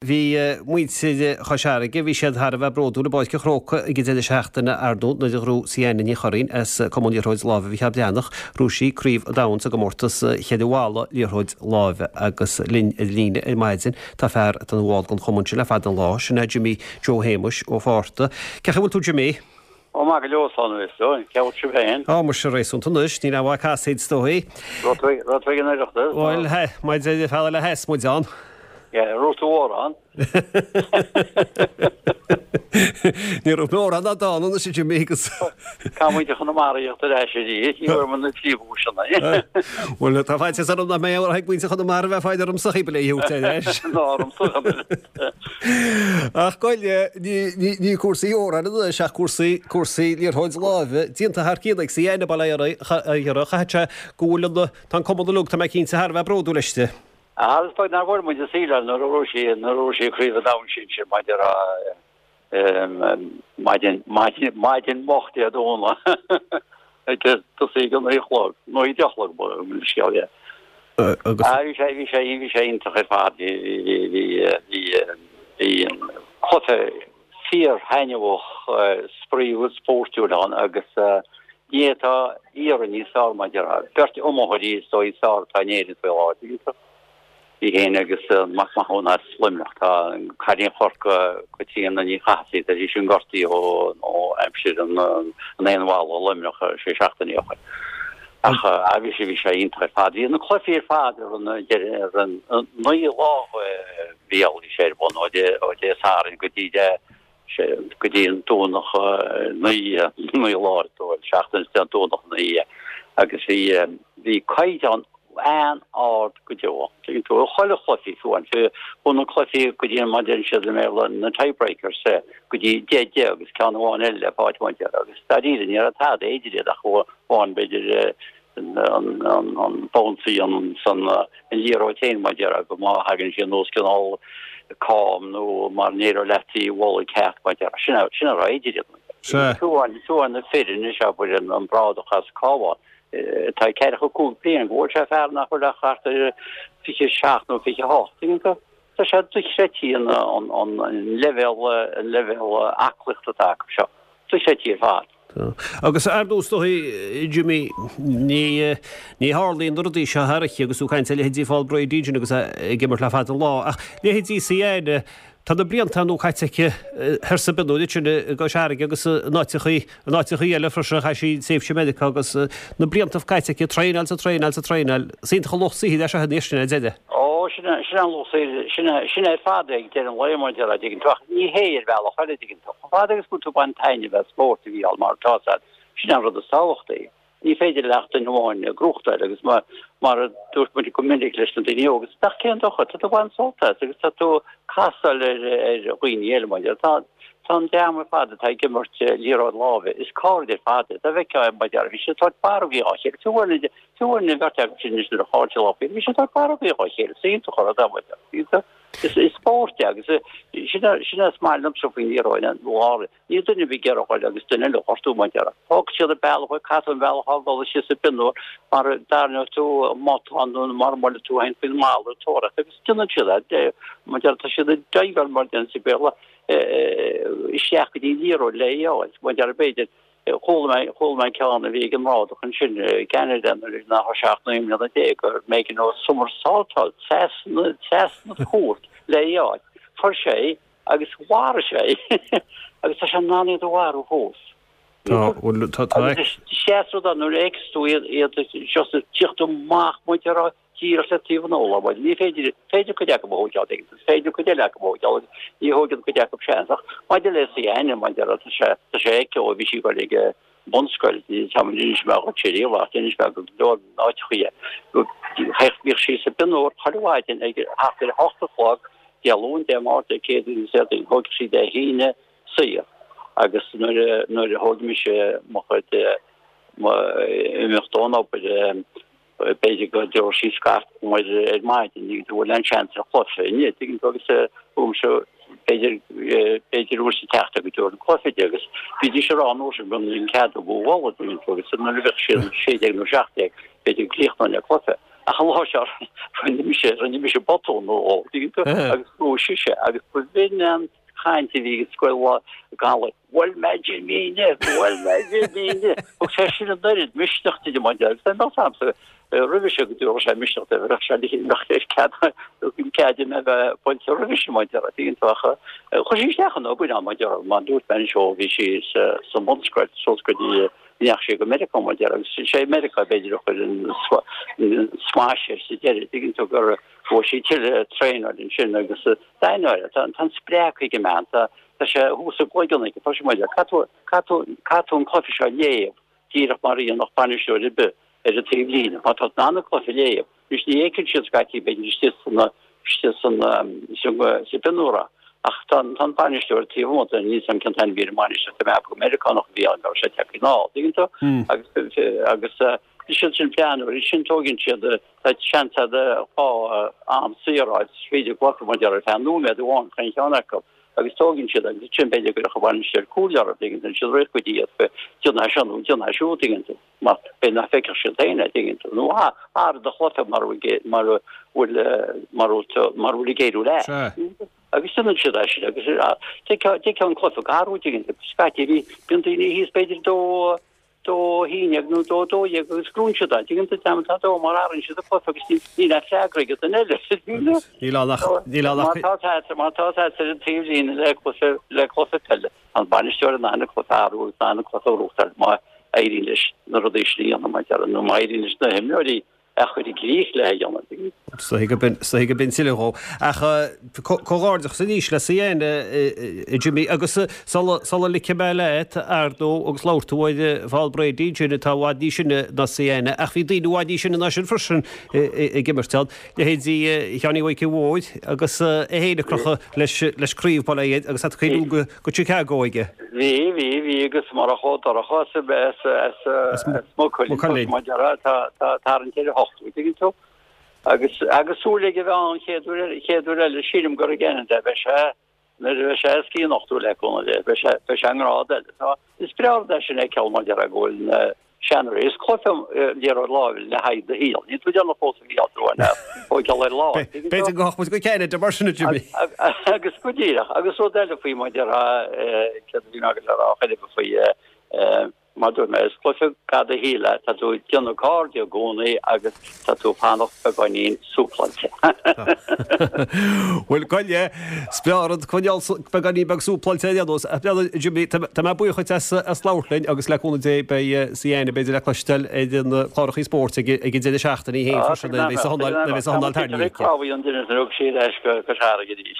Bhí muintir Chois Fharraige, bhí siad thar a bheith bródúil i bPáirc an Chrócaigh ag an deireadh seachtaine ar ndóigh nuair a ghnóthaigh Sienna Ní Churraoin as Cumann Liathróid Láimhe Mhicheál Breathnach, ghnóthaigh sí Craobh an Domhain sa gcomórtas cheithre bhalla liathróid láimhe agus linn ar líne ar maidin tá fear atá ina bhall den chumann sin le fada an lá, sin é Jimí Joe Shéamuis Ó Fátharta. Cén chaoi a bhfuil tú Jimí? Ó maith go leor slán anois dóigh, cén chaoi a bhfuil sibh féin? Á muise réasúnta anois, níl aon mhaith casaoid is dóigh. Raibh tú ag an Oireachtas? Bhuel, maidir le fear le sheas muid ann. Yeah, raibh tú mórán. Ní raibh mórán ná dán anois a Jimí agus. Caithfidh muintir Chonamara a thíocht ar ais arís, ní bhfuair muid na príomhdhuaiseanna. Bhuel, tá faitíos orm nach mbeidh aon rath ag muintir Chonamara a bheith ag fáil ormsa cibé le thabhairt ar ais. Ná ormsa. Ach gabh i leith, ní cúrsaí amhráin anois ach cúrsaí, cúrsaí liathróid láimhe déanta thar cionn ag Sienna bail ó Dhia uirthi, chaithfeadh sé go bhfuil an, tá an cumann uilig, tá mé cinnte, thar a bheith bródúil aisti. Ach is beag nár bhuail muid an saol nuair a ghnóthaigh sí nuair a ghnóthaigh sí Craobh an Domhain Sinsir maidir maidin maidin maidin mhoch Dé Domhnaigh ag tosaí ag a 9 a chlog nó 10 a chlog mo scéal é. Agus bhí sé bhí sé bhí sé iontach ar fad bhí bhí bhí bhí bhí cluiche fíor-thaitneamhach spraíúil spóirtiúil ann agus ní fhéadfá iarraidh níos fearr mar a déarfá. Beirt iomaitheoirí is dóigh is fearr atá in Éirinn faoi láthair. Í féin agus Mac Mathúna as Luimneach. Tá cailín Chorcaí, Caitríona Ní Chathasaigh, tá sí sin gortaithe ó aimsir an aon bhalla i Luimneach sé seachtainí ó shin. Ach bhí sé bhí sé iontach ar fad. Bhí na cluichí ar fad ar an ar an 9 lá bhí sé ar bun ó Dé Sathairn go dtí Dé go dtí an Domhnach 9 9 lá is dóigh, seachtain is an Domhnach 9 agus bhí bhí caighdeán an-ard go deo. Tuigeann tú, chuile chluichí fiú an fiú na cluichí go dtí an mar a deireann siad i mBéarla na tiebreakers go dtí 10 10 agus ceann amháin eile le fáil amach agus dáiríre ní raibh tada idir iad ach amháin b'fhéidir an bounce an san an liathróid féin mar a déarfá go má thagann sí anuas cineál cam nó mar n-éireodh leat í a bhualadh ceart mar a déarfá. Sin a sin a raibh idir iad. Sea. Fiú amháin fiú amháin na fir anois abair an an Brádach as Cabhán atá ag 45 bliain go bhfuil sé fear nach bhfuil ach thart ar 27 nó 28 tuigeann tú? Tá sé dochreidte an an an leibhéal an leibhéal aclaíochta atá acu seo. Dochreidte ar fad. Tá. Agus ar ndóigh, is dóigh, Jimmy, ní, ní tharlaíonn na rudaí seo thar oíche agus tú ag caint ar leithéidí Phól Brady ansin agus é ag imirt le fada an lá, ach leithéidí Sienna, tá na blianta ar ndóigh caite aici thoir sa bpionúr ansin i gCois Fharraige agus in áiteachaí, in áiteachaí eile freisin, chaith sí tréimhse i Meiriceá agus na blianta caite aici ag traenáil 's ag traenáil 's ag traenáil. Is iontach an lucht saothair é seo anois ar deireadh. Ó, sin é, sin é an lucht saothair, sin é, sin é ar fad é ag deireadh an lae, mar a déarfá, an dtuigeann tú, ach ní hé ar bhealach eile, an dtuigeann tú. Chomh fada agus go bhfuil tú ag baint taitneamh as spórt a Mhícheáil mar atá sé, sin é an rud is tábhachtaí. Ní féidir le ach duine amháin gnóthachtáil agus mar mar a dúirt muid go minic leis na daoine óga, ach cén dochar, tá tú ag baint sult as agus tá tú ag casáil ar ar dhaoine eile mar tá tá an dream ar fad atá ag imirt liathróid láimhe, is cairde ar fad iad. Dá bhfeicfeá é mar a déarfá, bhí siad ag tabhairt barrógaí dhá chéile, fiú amháin fiú amháin an bheirt acu sin anois nuair a chaill siad lá faoi, bhí siad ag tabhairt barrógaí dhá chéile, is iontach an rud é mar a déarfá. Is spórt é agus sin é is maith liomsa faoin liathróid láimhe. Níl duine ar bith ag iarraidh a ghoil agus duine eile a ghortú mar a déarfá. Fágfaidh siad an bealach, caithfidh tú an bealach a fhágáil síos sa bpionúr mar a dtarraingeoidh tú matán nó mar a mbuailfidh tú féin faoin mballa ag tóraíocht agus déanann siad é. Mar a déarfá tá siad ag diveáil mar a deireann sa Bhéarla isteach go dtí an liathróid le í a fháil. Mar a déarfá b'fhéidir Chuala mé, chuala mé ceann a bhí ag an mBrádach ansin i gCeanada nuair nach raibh sé ach 19 mbliana gur b'éigean dó somersaultáil trasna, trasna an chúirt le í a fháil. Fuair sé í agus mharaigh sé í agus tá sé in ann iad a mharú fós. Tá, bhuel, tá, tá. Agus is deas rud é nuair a fheiceas tú iad, iad just ag tíocht amach mar a déarfá díreach le taobh an urláir. Bhuel, ní féidir, féidir cuid acu a thóigeáil, ag, is féidir cuid eile acu a thóigeáil agus ní thóigeann cuid acu seans. Ach maidir le Sienna, mar a déarfá, tá sé, tá sé aici ó bhí sí ag dul ag an mbunscoil, ní táimid d'inis mé dhuit riamh ach d'inis mé go leor áiteachaí é. Bhíodh sí sa bpionúr chuile mhaidin ag thart ar a hocht a chlog, Dé Luain, Dé Máirt, Dé Céadaoin agus Déardaoin. Thóigeadh sí Dé hAoine saor agus nuair a, nuair a thóg mise mo chuid, mo imeacht ón obair, B'fhéidir go dtabharfadh sí scairt dom ar maidin, ní bhfuil aon seans ar chluiche inniu, tuigeann tú, agus uaimse b'fhéidir, b'fhéidir uair sa tseachtain go dtabharfainn cluiche di agus bhídís ag rá an uair sin go mbíonn cead a bhualadh, tuigeann tú, agus nuair a bheadh siad 16 nó 17, b'fhéidir go gcríochnóinn le cluiche. Ach an lá seo rinne mise, rinne mise botún nó dhó, tuigeann tú, agus bhuaigh sise agus ba bhinn an chaint a bhí ag scoil Gallaibh, Bhuail mé Jimín, bhuail mé Jimín. Thug sé sin an oiread misneach di mar agus tá mé agamsa roimhe seo go dtabharfadh sé misneach di, bheadh sé bheadh cead cead di mé bheith buailte roimhe sin mar déarfá, tuigeann tú ach chuir sí isteach an obair ann mar déarfá, mar dúirt mé anseo bhí sí sa sa mbunscoil suas go dtí ndeachaigh sí go Meiriceá mar déarfá agus sé Meiriceá b'fhéidir a chuir an smash air sa deireadh, tuigeann tú gur bhuaigh sí tuilleadh traenáil ansin agus d'ainneoin tá an spreacadh ag an mbean, tá tá sé thuas i gcloigeann aici, tá sé mar caithfidh tú caithfidh tú an cluiche seo a léamh díreach mar a dhéanfadh bainisteoir ar bith ar an taobhlíne, má tá tú in ann an cluiche a léamh, anois ní fheiceann siad scaití b'fhéidir istigh san istigh san sa bpionúr ach tá an bainisteoir taobh amuigh de, níl 's a'm cén t-ainm a bhí ar an mbainisteoir, tá mé ag ceapadh gur Meiriceánach a bhí ann, go raibh sé tagtha anall, tuigeann tú? Agus agus siad sin plean, sin tóigeann siad tá seans a'd dhá am saor a fháil, is féidir glacadh mar déarfá ar feadh nóiméad amháin chaon cheann acu agus tóigeann siad agus ansin b'fhéidir go gcuirfeadh an bainisteoir comhairle orthu, tuigeann tú, siad rith go dtí iad déan é seo nó déan é siúd, tuigeann tú. Mar b'fhéidir nach bhfeicfeadh siad féin é, tuigeann tú, nó athraigh do chluiche mura bhfuil mura bhfuil mura bhfuil mura bhfuil ag éiriú leat. Sea. Agus déanann siad é sin agus d'fheicfeá an cluiche ag athrú, tuigeann tú. Scaití bhí bíonn daoine thíos b'fhéidir dó dó haon dhéag nó dó dó dhéag agus gnóthaíonn siad é. Tuigeann tú, tá dó mar athraíonn siad an cluiche agus níl níl aon freagra ag an duine eile. Níl ann ach níl ann ach. Má tá má tá tú ar an taobhlíne le cluiche le cluiche peile. An bainisteoir in ann an cluiche a athrú agus in ann an cluiche a ghnóthachtáil má éiríonn leis na rudaí sin a dhéanamh, mar déarfá, nó má éiríonn leis na himreoirí a chur i gcrích le a dhéanamh. Is dóigh go b'in tuilleadh dhó. Ach comhghairdeachas arís le Sienna, a Jimmy, agus sula ligfidh mé leat, ar ndóigh, agus labhair tú ar Paul Brady ansin atá i bhfad níos sine ná Sienna, ach bhí daoine i bhfad níos sine ná sin freisin ag imirt ann. Leithéidí Sheáinín Mhaidhcí Mhóir agus é féin ag crochadh leis craobh Baile Átha agus tá cuimhne go Chicago aige. Bhí, bhí, bhí agus murach Ó Dorcha as, as, as Maigh Cuilinn, mar déarfá, tá, tá tarraingt ar a hocht, tuigeann tú. Agus, agus súil aige a bheith ann chéad uair, chéad uair eile, sílim gur i gCeanada a bheidh sé, Nuair a bheidh sé os cionn 80 le cúnamh Dé, beidh sé, beidh sé i ngrád eile. Tá, is breá rud é sin a fheiceáil mar déarfá go bhfuil na seanóirí, is cluiche liathróid láimhe le haghaidh do shaoil. Níl tú ag déanamh fós a Mhícheáil tú an tóigeáil ar láimh. B'fhéidir go ghabhfadh muid go Ceanada mar sin a Jimmy. Agus go díreach, agus rud eile faoi mar déarfá, céard a bhí mé ag dul a rá chuile faoi, Mar dúirt mé, is cluiche fad do shaoil é, tá tú ag déanamh cairde i gcónaí agus tá tú ag fanacht beagáinín súpláilte. Bhuel, gabh i leith, is breá rud coinneáil beagáinín beag súpláilte ar aon nós. Ach bhuel, Jimmy, tá mé buíoch duit as labhairt linn agus le cúnamh Dé beidh Sienna b'fhéidir le cloisteáil ar na clárachaí spóirt ag an deireadh seachtaine í féin freisin nuair a bheas a thógáil tarraingthe aici. Tá an duine a thug sí ar ais go Cois Fharraige arís.